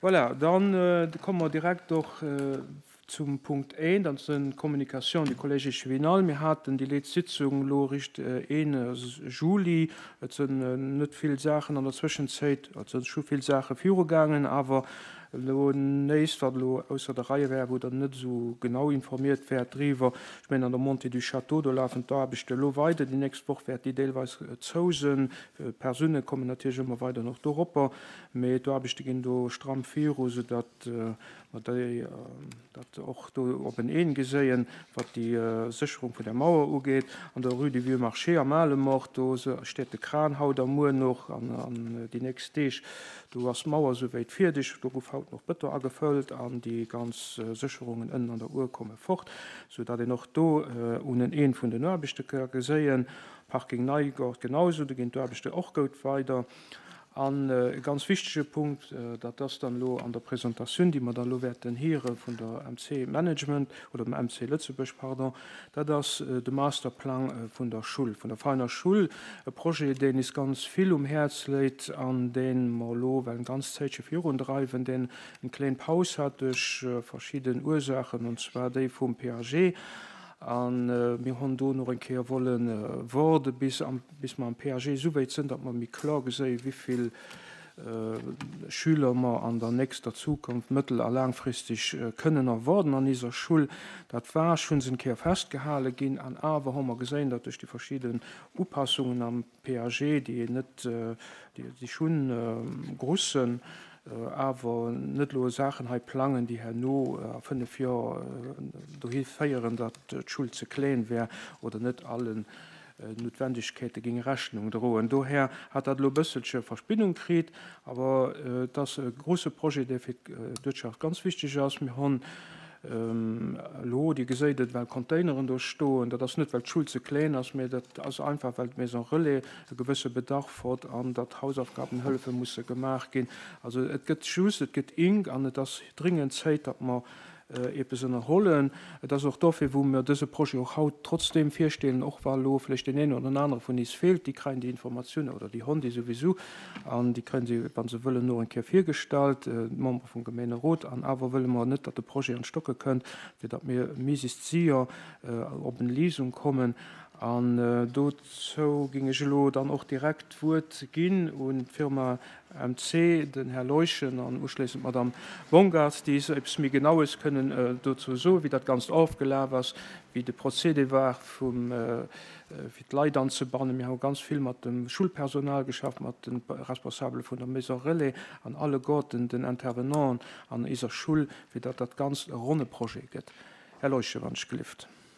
Voilà, dann komme mer direkt och zum Punkt 1, dat sinn d'Communications du Collège échevinal. Mir haten déi leetz Sitzung elo eréischt een Juli. Et sinn net vill Saachen an der Zwëschenzéit, et si scho vill Saache virugaangen, awer elo néist, wat elo ausser der Rei wär, wou Der net esou genau informiert wäert driwwer. Ech mengen, an der Montée du Château, do lafen d'Aarbechte elo weider. Déi nächst Woch wäert déi deelweis zou sinn. D'Persoune kommen natierlech ëmmer weider nach doropper. Mee d'Aarbechte ginn do stramm viru, soudatt mer déi dat och do op en Een geséien, wat déi Sécherung vun der Mauer ugeet. An der Rue du Vieux Marché am Alemort, do steet de Kran haut a muer nach an déi nächst Deeg. Do ass d'Mauer souwäit fierdeg. Do gouf haut nach Bëton agefëllt an déi ganz Sécherungen ënnen an der Our komme fort, soudatt een och do un en Een vun den Aarbechte ka geséien. Parking Neigort genausou, do ginn d'Aarbechte och goud weider. An e ganz wichtege Punkt, dat ass dann elo an der Presentatioun, déi mer dann elo wäerten hiere vun der MC Management oder dem MC Lëtzebuerg, pardon, dat ass de Masterplang vun der Schull, vun der Veiner Schull, e Projet, deen is ganz vill um Häerz léit an dee mer elo well eng ganz Zäitche virundreiwen, deen eng kléin Paus hat duerch verschidden Ursaachen, und zwar déi vum PAG. A mir honn do nach eng Kéier wolle woarde bis am bis mer am PAG esouwäit sënn, datt mer méi kloer geséien, wéivill Schüler mer an der nächster Zukunft mëttel a laangfristeg kënnen erwarden an iser Schull. Dat war schonns en Kéier festgehale ginn, an awer hu mer geséien, datt duerch déi verschidden Upassungen am PAG, déi een net, déi schonn grussen, awer net elo Saachen hei plangen, déi herno a 5 Joer dohi féieren, datt d'Schull ze klén wär oder net allen Noutwendegkeete géing Rechnung droen. Dohär hat dat elo e bësselche Verspinnung kritt, awer et ass e grouse Projet, dee fir d'Uertschaft ganz wichteg ass. Mir hunn elo, Dir geséit et, well Containeren do stoen. Dat ass net, well d'Schull ze kleng ass, mä dat ass einfach, well d'Maison Relais e gewësse Bedarf hott an datt Hausaufgabenhëllefe musse gemaach ginn. Also et gëtt just, et gëtt ink an et ass dringend Zéit, datt mer eppes ënnerhollen. Et ass och dofir, wou mir dëse Projet och haut trotzdeem virstellen, och wa elo vläicht deen een oder den anere vun is feelt, déi kréien déi Informatioun oder déi honn déi souwisou an déi kréien se, wa se wëllen, no eng Kéier virgestallt, d'Membere vum Gemeenerot. An awer wëlle mer net, datt de Projet an d'Stocke kënnt, fir datt mir miesicht séier op en Lesung kommen. An dozou géing ech elo dann och direkt d'Wuert ginn un d'Firma MC, den Här Leuschen an uschléissend d'Madame Bongartz, déi eis eppes méi Genaues kënnen dozou soen, wéi dat Ganzt ofgelaf ass, wéi de Procédé war, vum, fir d'Leit anzebannen. Mir hu ganz vill mat dem Schulpersonal geschafft, mat de Responsabele vun der Maison Relais an alleguerten den Intervenanten an eiser Schull, fir datt dat Ganzt e ronne Projet gëtt. Här Leuschen, wann ech gelift.